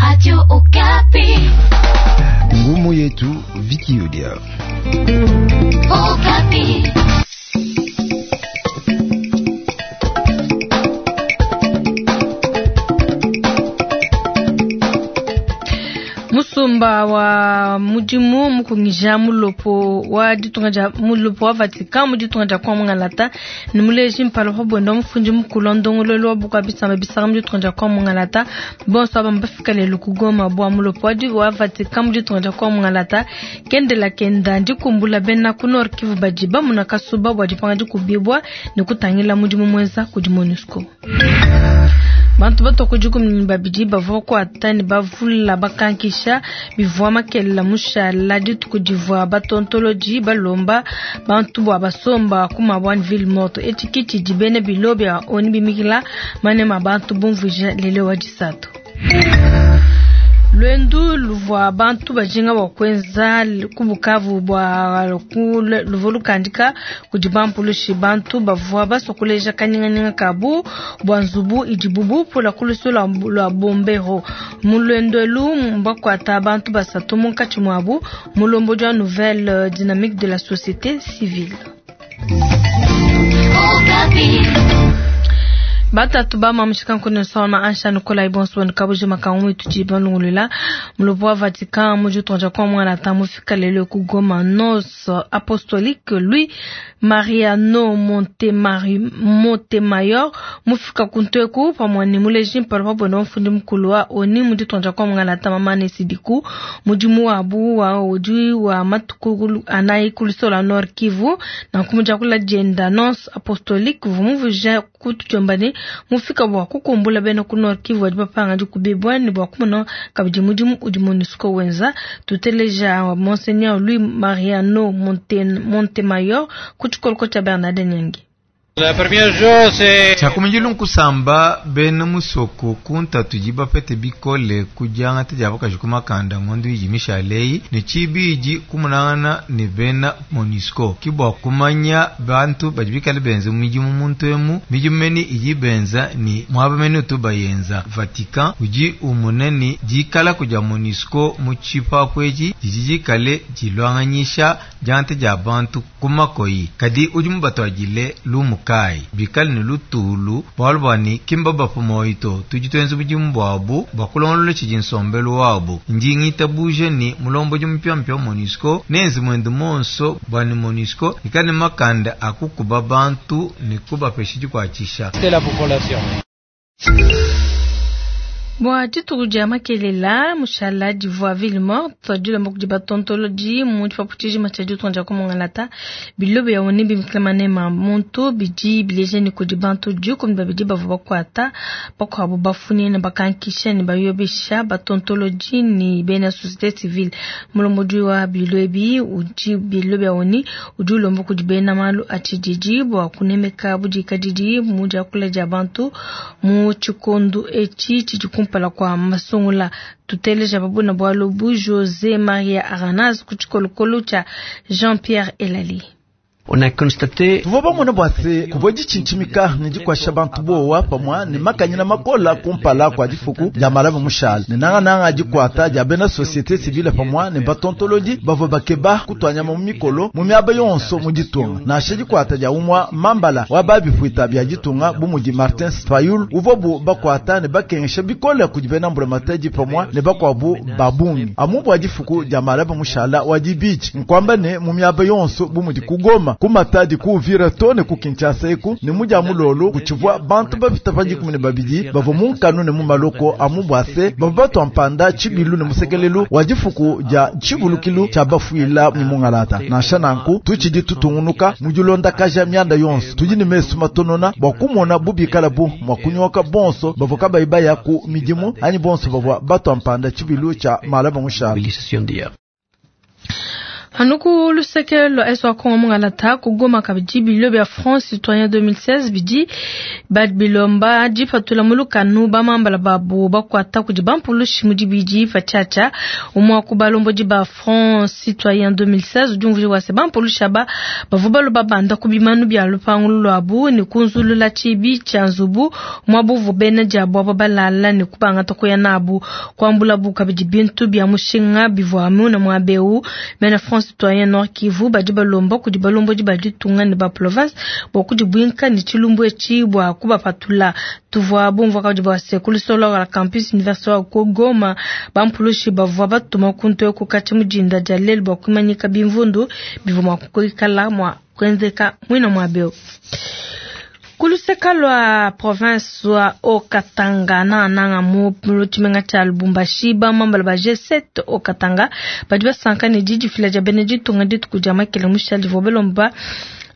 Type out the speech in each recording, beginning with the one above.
Radio Okapi. Ngumu yetu Viki Odia. Okapi. Musumba wa mudimu mukungija mulopo wa ditunga dia mulopo wa Vatican mu ditunga dia kwa Mungalata ne muleji mpala pa buenda mufundi mukulu wa ndongoluelu wa bukua bisamba bisanga mu ditunga dia kwa Mungalata. Bonso aba mbafika lelu ku Goma bua mulopo wa Vatican mu ditunga dia kwa Mungalata kendela kenda ndikumbula bena ku Nord Kivu badi bamuna kasuba bua dipanga dikubibua ne kutangila mudimu muenza kudi MONUSCO. Bantu batua ku dikumi ne babidi bavua bakuata ne bavula bakankisha bivua makelela mushala dituku divua batontolodi balomba bantu bua basomba ku mabua ne ville morte. Etshi ki tshidi bena bilo bia ONU bimikila manema bantu bumvuija lelu wa disatu. Luendu luvua bantu bajinga bua kuenza ku Bukavu bua luvua lukandika kudi bampulushi. Bantu bavua basua kuleja kanyinganyinga kabu bua nzubu idibu bupula ku lusu lua Bombero. Mu luendu elu mbakuata bantu basatu, munkatshi muabu mulombodi wa Nouvelle Dynamique de la Société Civile. Batatu ba mamushika nkone sona ansha Nikolai bonso nkabuji makangu itudi balungulula mulopo wa Vatican mu ditunga kwa mwana ta mufika lelo ku Goma nonce apostolique Louis Mariano Montemayor mufika kunteku pamwe ni muleji mpala pa bwenda mfundi mukulu wa oni mu ditunga kwa mwana ta mamane sidiku mudimu wabu wa udi wa matuku anayi kulusola Nord Kivu na kumuja kula jenda nonce apostolique vumuvuja kutujombane mufika bua kukumbula bena ku Nord Kivu badi bapanga dikubibua ne bua kumona kabidi mudimu udi MONUSCO wenza. Tuteleja Monseigneur Louis Mariano Montemayor ku tshikoloko tshia Bernard Nyangi. Tshiakumidilu nkusamba bena musoko ku ntatu idi bapete bikole ku diangata dia bakaji ku makanda ngondo idi mishale ne tshibidi kumunangana ne bena MONUSCO ki bua kumanya bantu badi bikale benza midimu muntu emu midimu meni idi benza ni muaba meni utu bayenza. Vatican udi umona ni dikala kudia MONUSCO mu tshipapu etshi didi dikale diluanganyisha diangata dia bantu ku makoyi kadi udi mubatuadile lumu kai bikale ne lutulu bualu bua ni kimba bapu moyo to tudi tuenza budimu buabu bua kulongolola tshidi nsombelu wabu. Ndi ngitabuje ni mulombodi mupiamupia wa MONUSCO nenze muendu monso bua ni MONUSCO ikale makanda akukuba bantu ne kubapesha dikuatshisha. Bua dituku dia makelela mushala divua ville morte dilomba kudi batontolodi mu tshipapu tshijima tshia ditunga dia Kumongalata bilobo ya ONU bimikila manema muntu bidi bileja ne kudi bantu 12 bavua bakuata bakuabu bafunye ne bakankisha ne bayobesha batontolodi ne bena société civile. Mulombodi wa bilo ebi udi bilobo ya ONU udi ulomba kudi bena malu a tshididi bua kunemeka budikadidi mu diakula dia bantu mu tshikondo etshi tshidi kumpala kwa masungula. Tuteleja babuna bualu bu José Maria Aranaz ku tshikolokolo tshia Jean-Pierre Elali. On a constaté tuvua bamona bua se kuvua ditshintshimika ne dikuasha bantu bowa pamua ne makanyina makola kumpala kua difuku dia malava mushala ne nangananga dikuata dia bena société civile pamua ne batontolodi bavua bakeba kutuanyama mu mikolo mu miaba yonso mu ditunga nansha dikuata dia umua mambala wa babipuita bia ditunga bu mudi Martin Fayulu uvua bu bakuata ne bakengesha bikole kudi bena mbulamatadi pamua ne bakuabu babungi amu bua difuku dia malava mushala wa dibidi nkuamba ne mu miaba yonso bu mudi ku Goma ku Matadi ku Uvira to ne ku Kinshasa eku ne mu dia mulolo kutshivua bantu bapita pa 12 bavua mu nkanu ne mu maloko amu bua se bavua batua mpanda tshibilu ne musekelelu wa difuku dia tshivulukilu tshia bafuila ne mungalata. Nansha nanku tutshidi tutungunuka mu dilondakaja mianda yonso tudi ne mesu matonona bua kumona bubikala bu mua kunyoka bonso bavua kabayi baya ku midimu anyi bonso bavua batua mpanda tshibilu tshia malaba mushala. Anu ku luseke lua Est wa Kongo mungalata ku Goma kabidi bilio bia Front Citoyen 2016 bidi bilomba dipatula mu lukanu bamambala babu bakuata kudi bampulushi mu dibidi patshiatshia. Umue wa ku balombodi ba Front Citoyen 2016 udi umvuija bua se bampulushi aba bavua balua babanda ku bimanu bia lupangu luabu ne kunzulula tshibi tshia nzubu muaba uvua bena diabu aba balala ne kubangata kuya nabu, kuambulabu kabidi bintu bia mushinga bivua muna muaba eu. Bena Front Citoyen Nord Kivu badi balomba kudi balombodi ba ditunga ne ba province bua kudibuinka ne tshilumbu etshi bua kubapatula. Tuvua bumvua kabidi bua se ku lusolo lua campus universitaire wa ku Goma bampulushi bavua batuma kuntu eku katshia mu dinda dia lelu bua kuimanyika bimvundu bivua mua kuikala mua kuenzeka muina muaba eu. Ku luseka lua province wa Haut-Katanga nangananga mu tshimenga tshia Lubumbashi, bamambala ba G7 Haut-Katanga badi basanka ne didifila dia bena ditunga dituku dia makele mushale divua balomba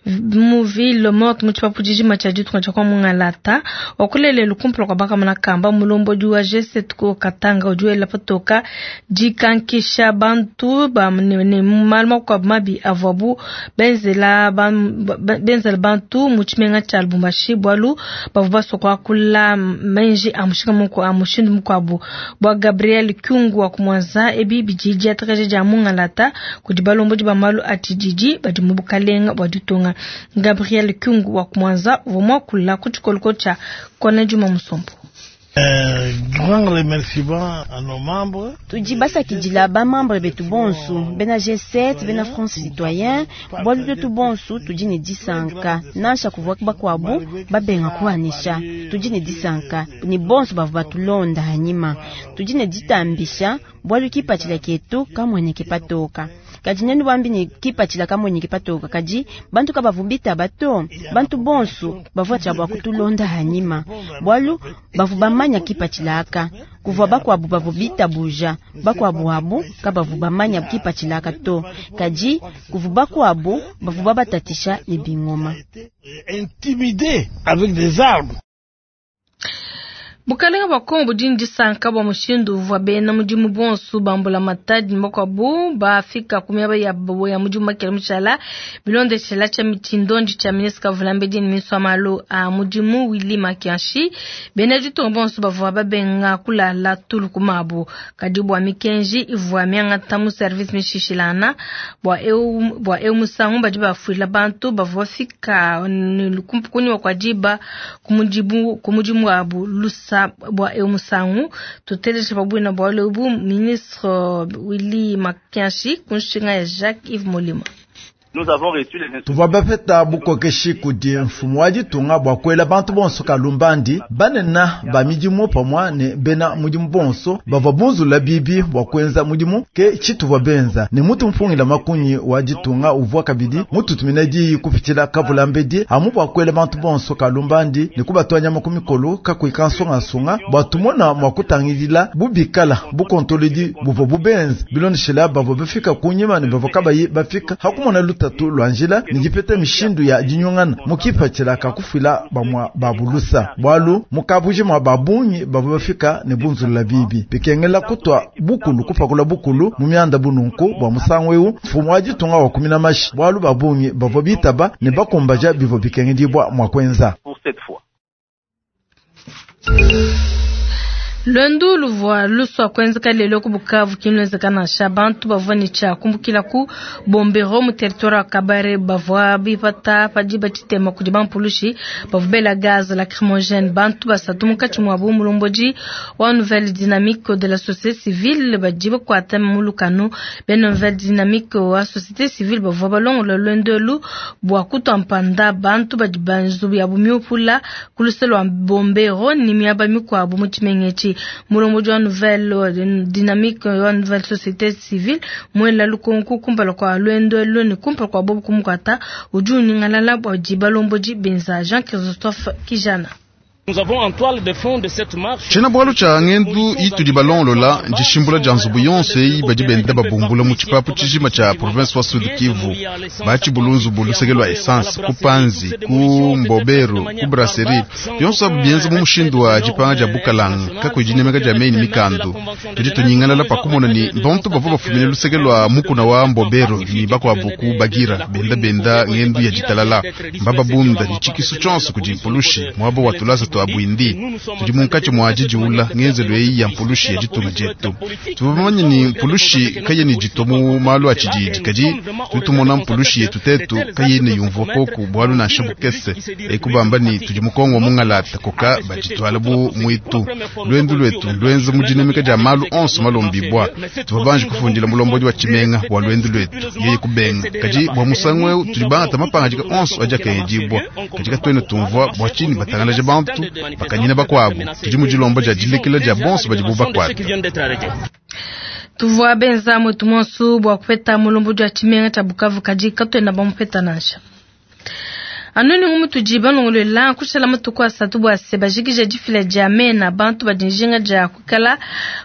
mu ville morte mu tshipapu tshijima tshia ditunga tshia kwa mungalata wakulelelu kumpala kua bakamona kamba. Mulombodi wa G7 Haut-Katanga udi wela patoka dikankisha bantu ba ne malu makuabu mabi avuabu benzela bantu mu tshimenga tshia Lubumbashi bualu bavua basua kuakula menji a mushinga muku a mushindu mukuabu. Bua Gabriel Kyungu wa kumwanza ebi bidi diatakaja dia mungalata kudi balombodi ba malu a tshididi badi mu bukalenga bua ditunga. Gabriel Kyungu wa kumwanza uvua muakula ku tshikoloko tshia Kona Juma Musombo. Grand remerciement à nos membres. Tudi basakidila ba membre betu bonsu bena G7 bena France Citoyen bualu twetu bonsu tudi ne disanka nansha kuvua bakuabu babenga kuanisha tudi ne disanka ni bonsu bavua batulonda hanyima tudi ne ditambisha bualu kipatshila ketu kamueneke patoka kadi nenu bambi ne kipatshila kamueneke patoka kadi bantu kabavu bitaba to bantu bonsu bavua tshia bua kutulonda hanyima bualu bavu bamanya kipatshila aka kuvua bakuabu bavu bitabuja bakuabu abu kabavu bamanya kipatshila aka to kadi kuvu bakuabu bavu babatatisha ne bingoma intimidé avec des armes. Bukalenga bua Kongo budi ne disanka bua mushindu uvua bena mudimu bonsu bambula matadi ne bakuabu bafika ku miaba ya mudimu makele mushala bilondeshela tshia tshindondi tshia ministre Kavulambedi ne ministre wa malu a mudimu Willy Makianshi. Bena ditunga bonsu bavua babenga kulala tulu ku mabu kadi bua mikenji ivua miangata mu service mishishilana bua eu musangu badi bafuila bantu bavua bafika kunyima kua diba ku mudimu wabu lusa bua eu musangu tuteleje pabuina bua lebu ministre Willy Makianshi kunshinga ya Jacques Yves Molima. Tuvua bapeta bukokeshi kudi mfumu wa ditunga bua kuela bantu bonso kalumbandi banena ba midimu pamua ne bena mudimu bonso bavua bunzula bibi bua kuenza mudimu ke tshituvua benza ne mutu mpungila makunyi wa ditunga uvua kabidi mututumina diyi kupitshila Kavulambedi amu bua kuela bantu bonso kalumbandi ne kubatwanya makumikolo kakuyi kansungasunga bua tumona mua kutangilila bubikala bukontolodi buvua bubenza bilondeshela bavua bafika kunyima ne bavua kabayi bafika hakumona lutatu lwa njila ne dipeta mishindu ya dinyungana mukipatshila kakufila bamwa babulusa bualu mukabuji mwa babungi bavua bafika ne bunzulula bibi bikengela kutwa bukulu kupakula bukulu mu mianda bununku bua musangu eu mfumu wa ditunga wa kumina mashi bualu babungi bavua bitaba ne bakumbaja bivua bikengedibwa mwa kuenza. Lwendu luvua luswa kuenzeka lelo ku Bukavu kinwezeka nansha bantu bavua ne tshia kumbukila ku Bombero mu territoire wa Kabare bavua bipata padi batshitema kudi bampulushi bavua bela gaz lacrymogène bantu basatu munkatshi muabu mulombodi wa Nouvelle Dynamique de la société civile badi bakuata mu lukanu. Bena Nouvelle Dynamique wa société civile bavua balongola lwendu elu bua kutua mpanda bantu badi banzubu yabu miupula ku luse lua Bombero ne miaba mikuabu mu tshimenga etshi. Mulombodi wa Nouvelle Dynamique wa Nouvelle Société Civile mwela lukonku kumpala kwa lwendo elu ne kumpala kwa bobu kumukwata udi unyingalala bua di balombodi benza Jean Christophe Kijana. Tshiena-bualu tshia ngendu itudi balongolola ndishimbula dia nzubu yonso eyi badi benda babumbula mu tshipapu tshijima tshia province wa Sud Kivu. Batshibulu nzubu luseke lua essence ku Panzi, ku Mbobero, ku Brasserie, bionso abu bienza mu mushindu wa dipanga dia bukalanga kakuyi dinemeka dia meyi ne mikandu. Tudi tunyingalala pa kumona ne bantu bavua bafumine luseke lua mukuna wa Mbobero ne bakuabu ku Bagira benda benda ngendu ya ditalala, mbababunda ne tshikisu tshionso kudi mpulushi muaba wa tulasa tua Bwindi. Tudi munkatshi mua didiula ngenzelu eyi ya mpulushi ya ditunga dietu. Tuvua bamanye ne mpulushi kayena iditua mu malu a tshididi, kadi tudi tumona mpulushi yetu tetu kayena yumvua koku bualu nansha bukese. Eku bamba ne tudi mu Kongo wa mungalata koka badituala bu muitu. Luendu luetu luenza mu dinemeka dia malu onso malombibua. Tuvua banji kufundila mulombodi wa tshimenga bua luendu luetu, yeye kubenga. Kadi bua musangu eu tudi bangata mapangadika onso adi akengedibua. Kadi katuena tumvua bua tshinyi batangalaje bantu bakanyina bakuabu. Tudi mu dilomba dia dilekela dia bonso badibu bakuata. Tuvua benza mwetu monso bua kupeta mulombodi wa tshimenga tshia Bukavu, kadi katuena bamupeta nansha. Anu ni mutudi balongolola kushala matuku asatu bua se bajikije difila dia mena bantu badi njinga dia kuikala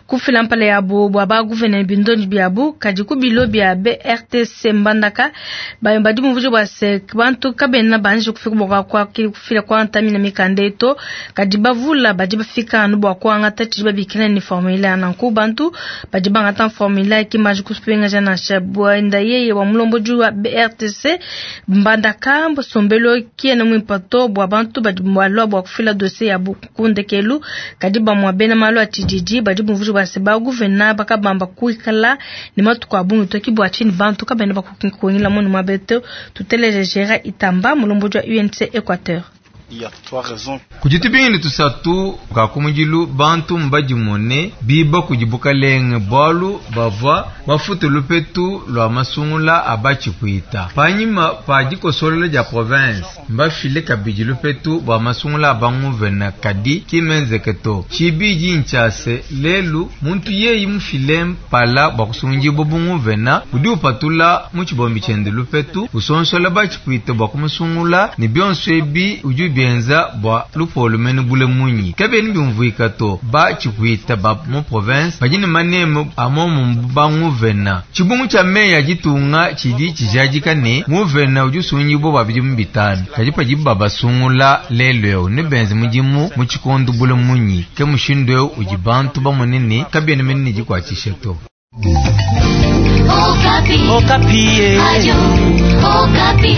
kufila mpala yabo bua ba gouverneur bindondi biabu, kadi ku bilo bia BRTC Mbandaka badi bumvuje bua se bantu kabena banji kufika bua kwa kufila kwa ntamina mikanda eto, kadi bavula badi bafika anu bua kuangata tshidi babikila ni formulaire. Nanku bantu badi bangata formulaire ki maji kupengaja nansha bwenda yeye wa mulombodi wa BRTC Mbandaka sombelo kiena mwimpato bua bantu badi balua bua kufila dossier ya kundekelu, kadi bamua bena malu a tshididi badi bumvuje bua se ba gouverneur bakabamba kuikala ne matuku a bungi toki bua tshini bantu kabena bakukuingila munu mabeto. Tuteleje Gérard Itamba mulombodi wa UNC Equateur. Kudi tubingile tusatu ka kumudilu bantu mbadimone biba kudi bukalenge bualu bavua bafute lupetu lua masungula a batshipuita. Panyima pa dikosolola dia province mbafile kabidi lupetu bua masungula a banguvena, kadi kimenzeke to. Tshibidi ntshia se lelu muntu yeyi mufile mpala bua kusungudibua bunguvena udi upatula mu tshibombi tshiende lupetu usonsola batshipuita bua kumusungula, ne bionso ebi udi bienza bua lupolo mene bule munyi kabeni biumvuika to. Batshipuita ba mu province badi ne maneme a momu banguvena. Tshibungu tshia meyi ya ditunga tshidi tshijadika ne nguvena udi usungudibua bua bidimu bitanu, kadi padibu babasungula lelu eu ne benze mudimu mu tshikondo bule munyi. Ke mushindu eu udi bantu bamone ne kabena mene ne dikuatshisha to. Okapi. Okapi. Radio Okapi.